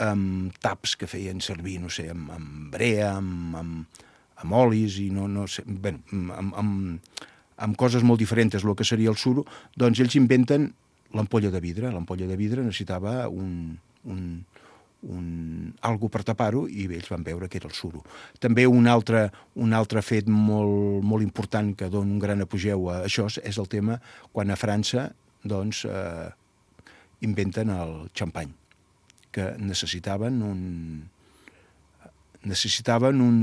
amb taps que feien servir, no sé, amb, amb brea, amb, amb, amb olis i no, no sé, bé, amb, amb, amb coses molt diferents del que seria el suro, doncs ells inventen l'ampolla de vidre. L'ampolla de vidre necessitava un, un, un, algo per tapar-ho i ells van veure que era el suro. També un altre, un altre fet molt, molt important que dona un gran apogeu a això és el tema quan a França doncs, eh, inventen el xampany, que necessitaven un... necessitaven un...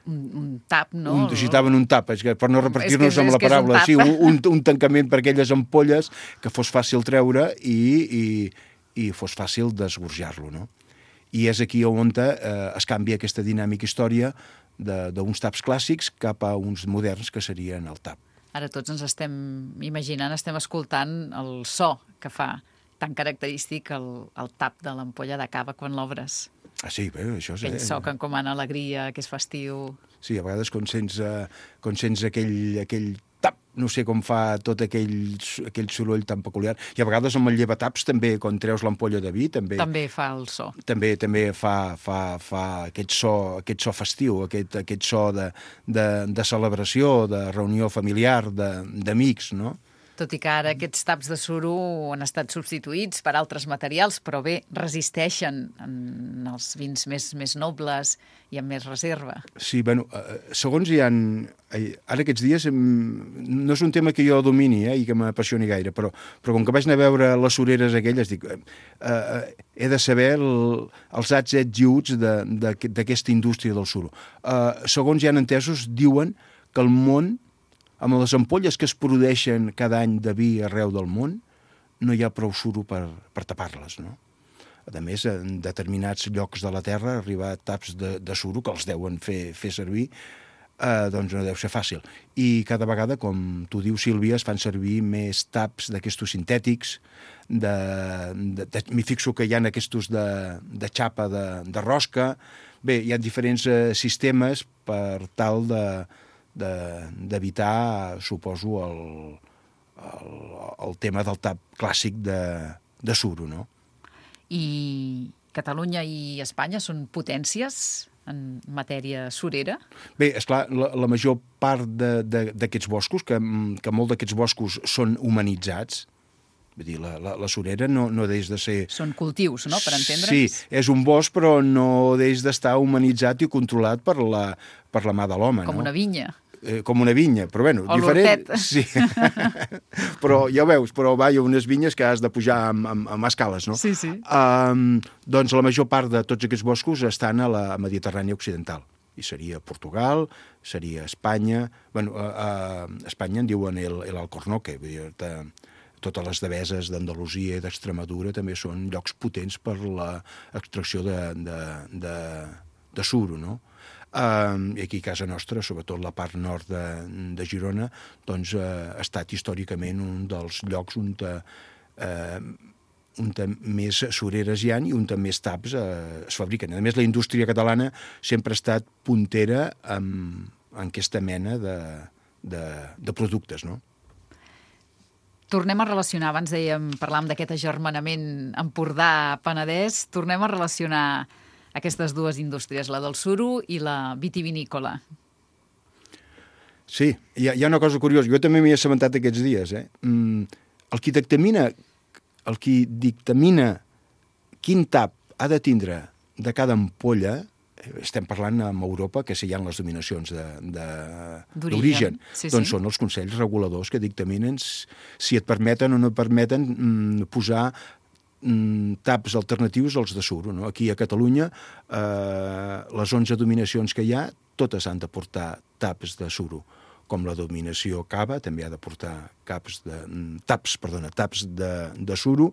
Un, un tap, no? Un, necessitaven un tap, és que, per no repetir-nos amb la paraula, sí, un, un tancament per aquelles ampolles que fos fàcil treure i, i, i fos fàcil d'esgorjar-lo, no? I és aquí on eh, es canvia aquesta dinàmica història d'uns taps clàssics cap a uns moderns que serien el tap. Ara tots ens estem imaginant, estem escoltant el so que fa tan característic el, el tap de l'ampolla de cava quan l'obres. Ah, sí, bé, això és... Aquell so que encomana alegria, que és festiu... Sí, a vegades quan sents, eh, quan sents aquell, aquell tap, no sé com fa tot aquell, aquell soroll tan peculiar. I a vegades amb el llevataps també, quan treus l'ampolla de vi, també... També fa el so. També també fa, fa, fa aquest, so, aquest so festiu, aquest, aquest so de, de, de celebració, de reunió familiar, d'amics, no? Tot i que ara aquests taps de suro han estat substituïts per altres materials, però bé, resisteixen en els vins més, més nobles i amb més reserva. Sí, bueno, segons hi ha... Ara aquests dies no és un tema que jo domini eh, i que m'apassioni gaire, però, però com que vaig anar a veure les sureres aquelles, dic, eh, eh, he de saber el, els ats, ets i uts d'aquesta indústria del suro. Eh, segons hi ha entesos, diuen que el món, amb les ampolles que es produeixen cada any de vi arreu del món, no hi ha prou suro per, per tapar-les, no? A més, en determinats llocs de la Terra arribar taps de, de suro que els deuen fer, fer servir, eh, doncs no deu ser fàcil. I cada vegada, com tu dius, Sílvia, es fan servir més taps d'aquestos sintètics, de, de, de, m'hi fixo que hi ha aquestos de, de xapa de, de rosca. Bé, hi ha diferents eh, sistemes per tal de d'evitar, suposo, el, el, el tema del tap clàssic de, de suro, no? I Catalunya i Espanya són potències en matèria surera? Bé, esclar, la, la major part d'aquests boscos, que, que molt d'aquests boscos són humanitzats, vull dir, la, la, la surera no, no deix de ser... Són cultius, no?, per entendre'ns? Sí, és un bosc, però no deix d'estar humanitzat i controlat per la, per la mà de l'home, no? Com una vinya. Eh, com una vinya, però bueno, o diferent... Sí, però ja ho veus, però va, hi ha unes vinyes que has de pujar amb, amb, amb escales, no? Sí, sí. Um, doncs la major part de tots aquests boscos estan a la Mediterrània Occidental. I seria Portugal, seria Espanya... Bueno, a, a Espanya en diuen el, el Alcornoque, vull dir, te, totes les deveses d'Andalusia i d'Extremadura també són llocs potents per l'extracció de, de, de, de suro, no? Uh, I aquí a casa nostra, sobretot la part nord de, de Girona, doncs uh, ha estat històricament un dels llocs on, uh, on més sureres hi ha i on més taps uh, es fabriquen. A més, la indústria catalana sempre ha estat puntera en, en aquesta mena de, de, de productes, no? Tornem a relacionar, abans dèiem, parlàvem d'aquest agermanament Empordà-Penedès, tornem a relacionar aquestes dues indústries, la del suro i la vitivinícola. Sí, hi ha, hi ha una cosa curiosa. Jo també m'hi he assabentat aquests dies. Eh? Mm, el qui dictamina, el qui dictamina quin tap ha de tindre de cada ampolla, estem parlant amb Europa, que si hi ha les dominacions d'origen, sí, doncs sí. Són els consells reguladors que dictaminen si et permeten o no et permeten mm, posar mm, taps alternatius als de suro. No? Aquí a Catalunya, eh, les onze dominacions que hi ha, totes han de portar taps de suro, com la dominació cava també ha de portar caps de, taps, perdona, taps de, de suro,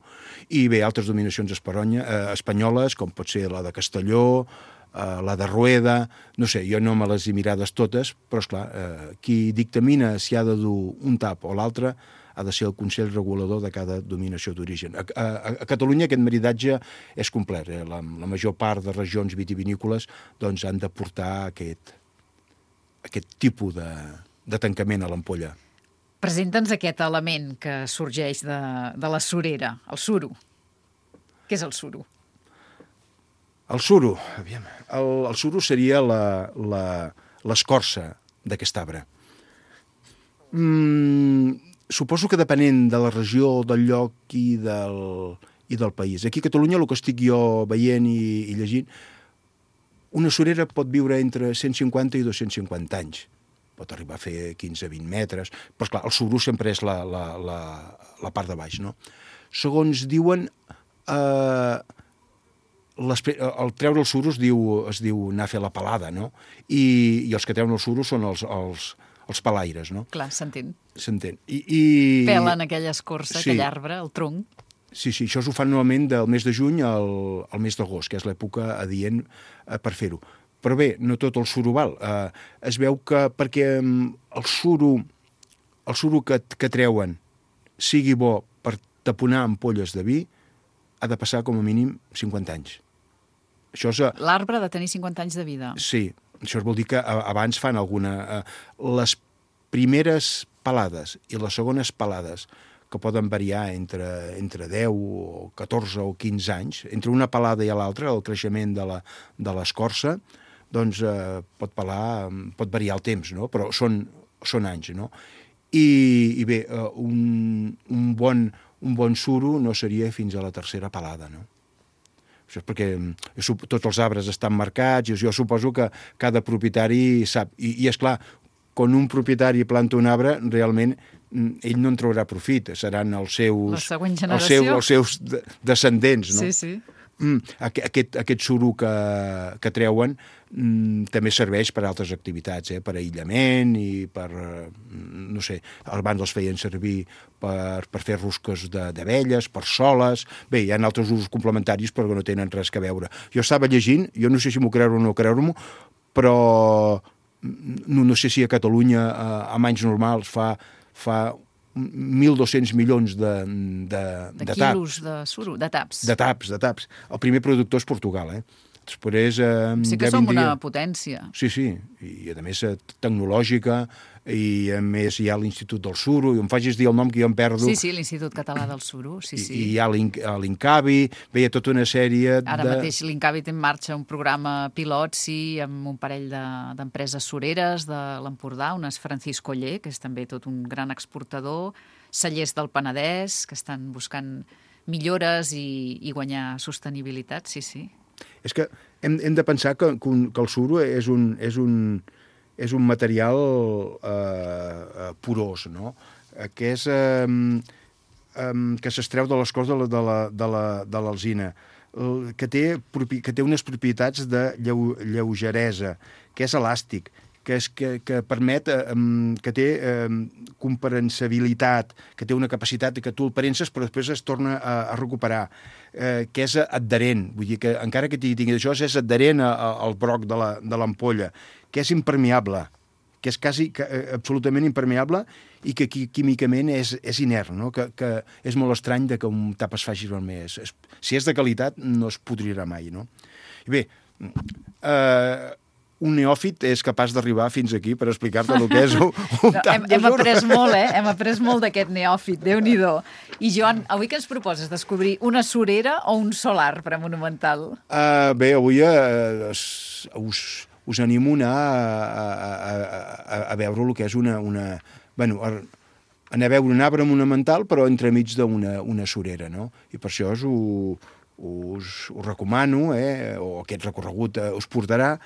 i bé, altres dominacions esperonya, eh, espanyoles, com pot ser la de Castelló, uh, la de Rueda, no sé, jo no me les he mirades totes, però esclar, uh, qui dictamina si ha de dur un tap o l'altre ha de ser el Consell Regulador de cada denominació d'origen. A, a, a Catalunya aquest maridatge és complet. Eh? La, la major part de regions vitivinícoles doncs, han de portar aquest, aquest tipus de, de tancament a l'ampolla. Presenta'ns aquest element que sorgeix de, de la surera, el suro. Què és el suro? El suro, aviam, el, el suro seria l'escorça d'aquest arbre. Mm, suposo que depenent de la regió, del lloc i del, i del país. Aquí a Catalunya, el que estic jo veient i, i llegint, una surera pot viure entre cent cinquanta i dos-cents cinquanta anys. Pot arribar a fer quinze a vint metres, però esclar, el suro sempre és la, la, la, la part de baix, no? Segons diuen, eh, el treure el suro es diu, es diu anar a fer la pelada, no? I, i els que treuen el suro són els, els, els palaires, no? Clar, s'entén. S'entén. I, i... Pelen aquella escorça, sí. aquell arbre, el tronc. Sí, sí, això ho fan normalment del mes de juny al, al mes d'agost, que és l'època adient eh, per fer-ho. Però bé, no tot el suro val. Eh, es veu que perquè el suro, el suro que, que treuen sigui bo per taponar ampolles de vi, ha de passar com a mínim cinquanta anys. Això és... L'arbre ha de tenir cinquanta anys de vida. Sí, això vol dir que abans fan alguna... Eh, les primeres pelades i les segones pelades, que poden variar entre, entre deu o catorze o quinze anys, entre una pelada i l'altra, el creixement de la, de l'escorça, doncs eh, pot pelar, pot variar el temps, no? Però són, són anys, no? I, i bé, eh, un, un, bon, un bon suro no seria fins a la tercera pelada, no? Això és perquè tots els arbres estan marcats i jo suposo que cada propietari sap. I, i és clar, quan un propietari planta un arbre, realment ell no en traurà profit, seran els seus, la següent els seus, els seus descendents, no? Sí, sí. Mm, aquest, aquest suro que, que treuen mm, també serveix per a altres activitats, eh? Per aïllament i per, no sé, abans els feien servir per, per fer rosques d'abelles, per soles. Bé, hi ha altres usos complementaris però que no tenen res a veure. Jo estava llegint, jo no sé si m'ho creure o no creure-m'ho, però no, no sé si a Catalunya amb anys normals fa, fa mil dos-cents milions de, de, de, de quilos taps. de suro, de taps. De taps, de taps. El primer productor és Portugal, eh? Després, eh, sí que ja som vindria... una potència. Sí, sí, i a més tecnològica, i a més hi ha l'Institut del Suro, i em facis dir el nom que jo em perdo. Sí, sí, l'Institut Català del Suro, sí, sí. I, i hi ha l'Incavi, bé, hi ha tota una sèrie de... Ara mateix l'Incavi té en marxa un programa pilot, sí, amb un parell d'empreses de, sureres de l'Empordà, unes Francisco Oller, que és també tot un gran exportador, cellers del Penedès, que estan buscant millores i, i guanyar sostenibilitat, sí, sí. És que hem, hem de pensar que, que, un, que el suro és un, és un, és un material eh, porós, no? Que és eh, eh, que s'extreu de l'escorç de l'alzina, que, té, que té unes propietats de lleu, lleugeresa, que és elàstic, que, és, que, que permet, eh, que té eh, comprensibilitat, que té una capacitat que tu el parences però després es torna a, a recuperar, eh, que és adherent, vull dir que encara que tingui això és adherent a, a, al broc de l'ampolla, que és impermeable, que és quasi que, eh, absolutament impermeable i que químicament és, és inert, no? que, que és molt estrany de que un tap es faci més. Si és de qualitat no es podrirà mai, no? I bé, eh, un neòfit és capaç d'arribar fins aquí per explicar-te el que és un, un no, tap hem, de hem suro. après molt, eh? Hem après molt d'aquest neòfit, Déu-n'hi-do. I, Joan, avui què ens proposes? Descobrir una surera o un sol arbre monumental? Uh, bé, avui uh, us, us animo a anar a, a, a, a veure el que és una... una bueno, a, anar a veure un arbre monumental, però entremig d'una una surera, no? I per això us ho, us, us recomano, eh? O aquest recorregut uh, us portarà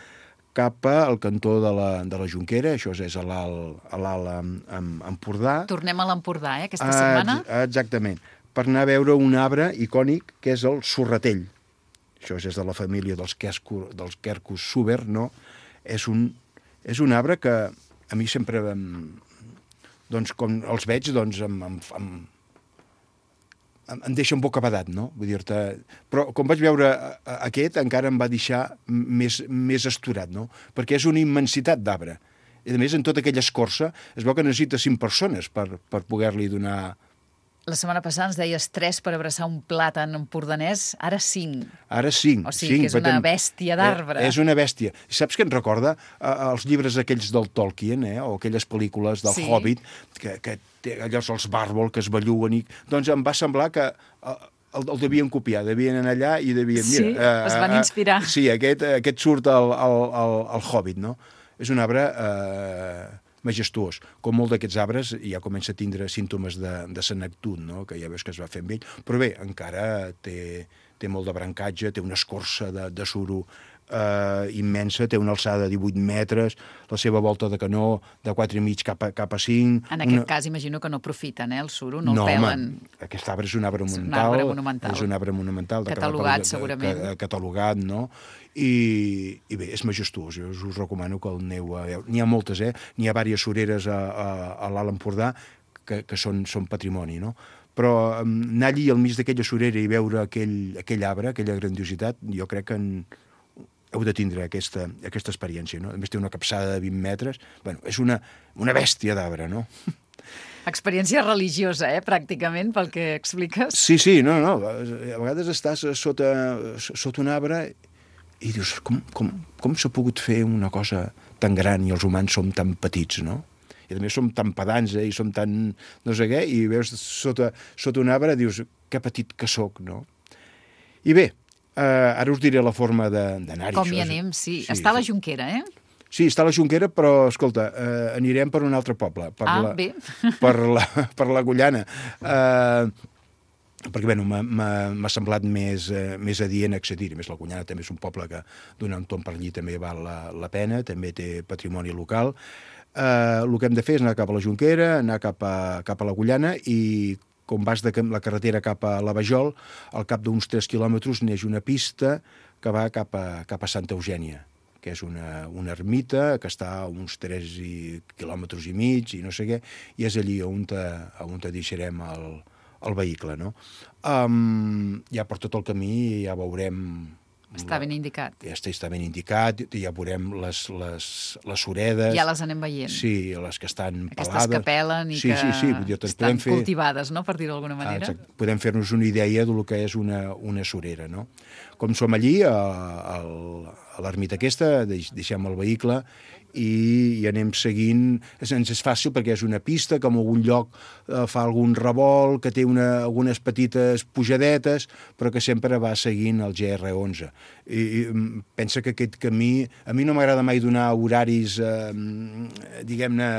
cap al cantó de la, de la Jonquera, això és a l'Alt Empordà. Tornem a l'Empordà, eh, aquesta setmana? Ah, exactament, per anar a veure un arbre icònic que és el sorratell. Això és de la família dels, quesco, dels quercus suber, no? És un, és un arbre que a mi sempre, doncs, com els veig, doncs, em, em, em, em deixa un bocabadat, no? Vull dir-te... Però quan vaig veure aquest encara em va deixar més, més esturat, no? Perquè és una immensitat d'arbre. I a més, en tota aquella escorça es veu que necessita cinc persones per, per poder-li donar... La setmana passada ens deies tres per abraçar un plàtan empordanès, ara cinc. Ara cinc. O sigui cinc, que és una bèstia d'arbre. Eh, és una bèstia. Saps què em recorda? Eh, els llibres aquells del Tolkien, eh? O aquelles pel·lícules del sí. Hobbit, que, que té allò els bàrbol que es belluguen. I... Doncs em va semblar que eh, el, el devien copiar, devien anar allà i devien... Sí, mira, eh, es van inspirar. Eh, sí, aquest, aquest surt al, al, al, al Hobbit, no? És un arbre... Eh, majestuós. Com molt d'aquests arbres ja comença a tindre símptomes de, de senectut, no? Que ja veus que es va fent vell, però bé, encara té, té molt de brancatge, té una escorça de, de suro eh, immensa, té una alçada de divuit metres, la seva volta de canó de quatre i mig cap a, cap a cinc... En aquest una... cas imagino que no aprofiten, eh, el suro, no, no el pelen. Home, aquest arbre és un arbre monumental. És un arbre monumental. És un arbre monumental. Catalogat, de, segurament. De, de, catalogat, no? I, i bé, és majestuós, jo us recomano que el aneu a veure. N'hi ha moltes, eh? N'hi ha diverses sureres a, a, a l'Alt Empordà que, que són, són patrimoni, no? Però um, anar allí al mig d'aquella surera i veure aquell, aquell arbre, aquella grandiositat, jo crec que en, heu de tindre aquesta, aquesta experiència, no? A més té una capçada de vint metres, bueno, és una, una bèstia d'arbre, no? Experiència religiosa, eh, pràcticament, pel que expliques. Sí, sí, no, no, a vegades estàs sota, sota un arbre i dius, com, com, com s'ha pogut fer una cosa tan gran i els humans som tan petits, no? I a més som tan pedants, eh, i som tan no sé què, i veus sota, sota un arbre, dius, que petit que sóc, no? I bé, eh, ara us diré la forma d'anar-hi. Com hi anem, sí. sí. Està a la Jonquera, eh? Sí, està a la Jonquera, però, escolta, eh, anirem per un altre poble. Per ah, la, bé. Per la, per la Gullana. Eh... perquè bueno, m'ha semblat més, eh, més adient accedir. A més, la Gullana també és un poble que donar un tomb per allí també val la, la pena, també té patrimoni local. Eh, el que hem de fer és anar cap a la Jonquera, anar cap a, cap a la Gullana i com vas de la carretera cap a la Vajol, al cap d'uns tres quilòmetres neix una pista que va cap a, cap a Santa Eugènia, que és una, una ermita que està a uns tres quilòmetres i mig i no sé què, i és allí on te, on te deixarem el el vehicle, no? Um, ja per tot el camí ja veurem... Està ben indicat. Ja està, està ben indicat, ja veurem les, les, les suredes... Ja les anem veient. Sí, les que estan Aquestes pelades. que pelen i sí, que sí, sí, dir, estan fer... cultivades, no?, per dir-ho d'alguna manera. Ah, podem fer-nos una idea del que és una, una surera, no? Com som allí, a, a, a l'ermita aquesta, deixem el vehicle i, i anem seguint. Ens és fàcil perquè és una pista que en algun lloc eh, fa algun revolt, que té una, algunes petites pujadetes, però que sempre va seguint el G R onze. I, i pensa que aquest camí... A mi no m'agrada mai donar horaris, eh, diguem-ne,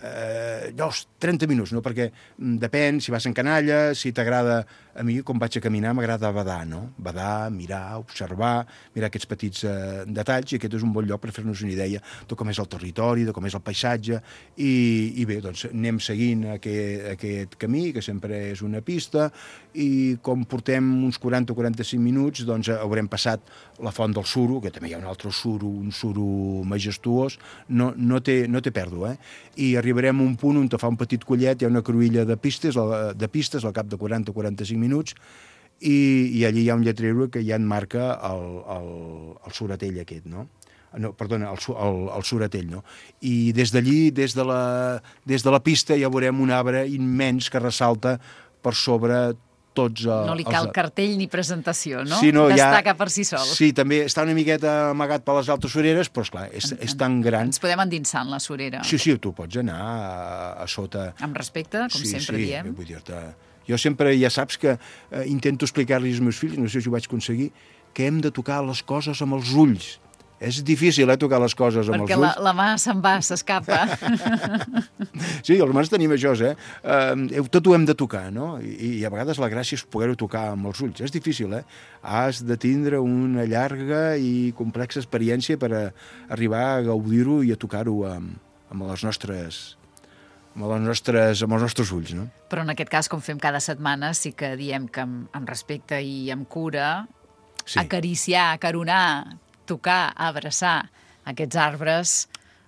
eh, dos, trenta minuts, no? Perquè depèn si vas en canalla, si t'agrada... A mi, com vaig a caminar, m'agrada badar, no? Badar, mirar, observar, mirar aquests petits eh, detalls, i aquest és un bon lloc per fer-nos una idea de com és el territori, de com és el paisatge, i, i bé, doncs anem seguint aquest, aquest camí, que sempre és una pista, i com portem uns quaranta o quaranta-cinc minuts, doncs haurem passat la Font del Suro, que també hi ha un altre suro, un suro majestuós, no, no, té, no té pèrdua, eh? I arribarem a un punt on te fa un petit collet, hi ha una cruïlla de pistes, de pistes al cap de quaranta o quaranta-cinc minuts, i, i allí hi ha un lletrero que ja en marca el, el, el suratell aquest, no? No, perdona, el, el, el suratell, no? I des d'allí, des, de la, des de la pista, ja veurem un arbre immens que ressalta per sobre tots... Uh, no li cal els... cartell ni presentació, no? Sí, no destaca ja... per si sol. Sí, també està una miqueta amagat per les altes sureres, però esclar, és, és tan gran... Ens podem endinsar en la surera. Sí, sí, tu pots anar a, a sota... Amb respecte, com sí, sempre sí, diem. Vull dir-te... Jo sempre, ja saps que eh, intento explicar-li als meus fills, no sé si ho vaig aconseguir, que hem de tocar les coses amb els ulls. És difícil, eh, tocar les coses amb Perquè els ulls. Perquè la, la mà se'n va, s'escapa. Sí, els humans tenim això, eh? Uh, tot ho hem de tocar, no? I, i a vegades la gràcia és poder-ho tocar amb els ulls. És difícil, eh? Has de tindre una llarga i complexa experiència per a arribar a gaudir-ho i a tocar-ho amb, amb les nostres... Amb, les nostres, amb els nostres ulls, no? Però en aquest cas, com fem cada setmana, sí que diem que amb, amb respecte i amb cura, sí. Acariciar, acaronar, tocar, abraçar aquests arbres,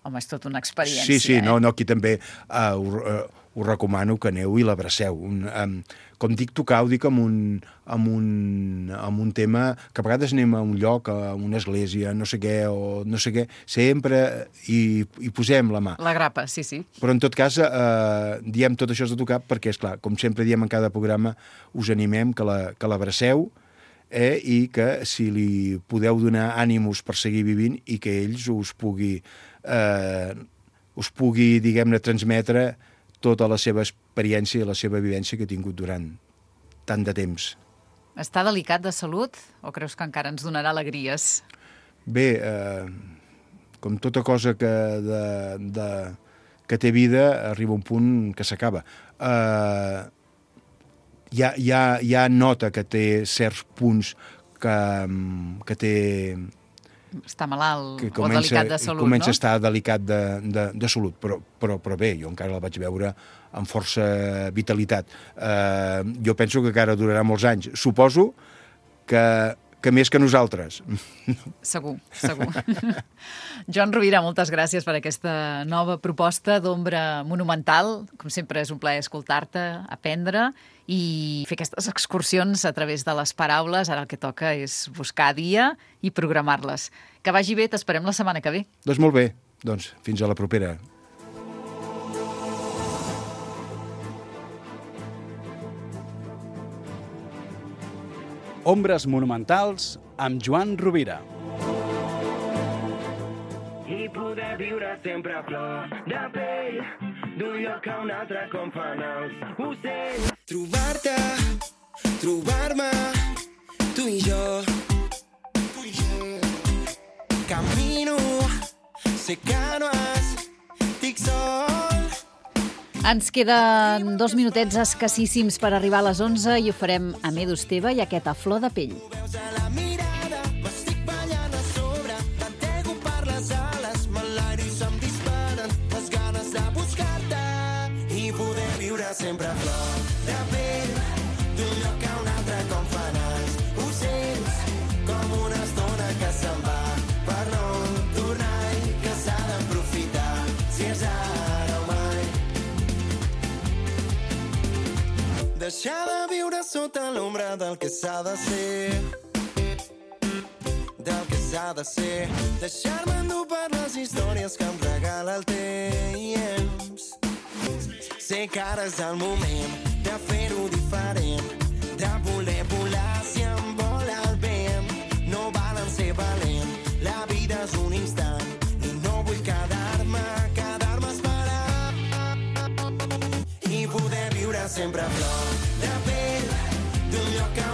home, és tota una experiència. Sí, sí, eh? no, no, aquí també uh, ho, uh, us recomano que aneu i l'abraceu. Un, um, com dic tocar, ho dic amb un, amb, un, amb un tema que a vegades anem a un lloc, a una església, no sé què, o no sé què, sempre hi, hi posem la mà. La grapa, sí, sí. Però en tot cas, eh, diem tot això de tocar perquè, és clar, com sempre diem en cada programa, us animem que la, que l'abraceu, eh, i que si li podeu donar ànimos per seguir vivint i que ells us pugui, eh, us pugui, diguem-ne, transmetre tota la seva experiència i la seva vivència que ha tingut durant tant de temps. Està delicat de salut o creus que encara ens donarà alegries? Bé, eh, com tota cosa que, de, de, que té vida, arriba un punt que s'acaba. Eh, ja, ja, ja nota que té certs punts que, que té... Està malalt que comença, o delicat de salut, comença no? a estar delicat de, de, de salut, però, però, però bé, jo encara la vaig veure amb força vitalitat. Eh, jo penso que encara durarà molts anys. Suposo que, que més que nosaltres. Segur, segur. Joan Rovira, moltes gràcies per aquesta nova proposta d'ombra monumental. Com sempre és un plaer escoltar-te, aprendre i fer aquestes excursions a través de les paraules. Ara el que toca és buscar dia i programar-les. Que vagi bé, t'esperem la setmana que ve. Doncs molt bé, doncs fins a la propera. Ombres monumentals amb Joan Rovira. I poder viure sempre a flor de pell, d'un lloc a un altre com fan els ocells. Trobar-te, trobar-me, tu i jo. Camino, sé que no estic sol. Ens queden dos minutets escassíssims per arribar a les onze i ho farem amb Edu Esteve i aquesta flor de pell. Sempre a flor de pell, d'un lloc a un altre com fan els ocells, com una estona que se'n va per no tornar i que s'ha d'aprofitar, si és ara o mai. Deixar de viure sota l'ombra del que s'ha de ser, del que s'ha de ser, deixar-me endur per les històries que em regala el temps. Sé que ara és el moment de fer-ho diferent, de voler volar si em vola el vent. No valen ser valent, la vida és un instant i no vull quedar-me, quedar-me esperant. I poder viure sempre a flor de pell, d'un lloc a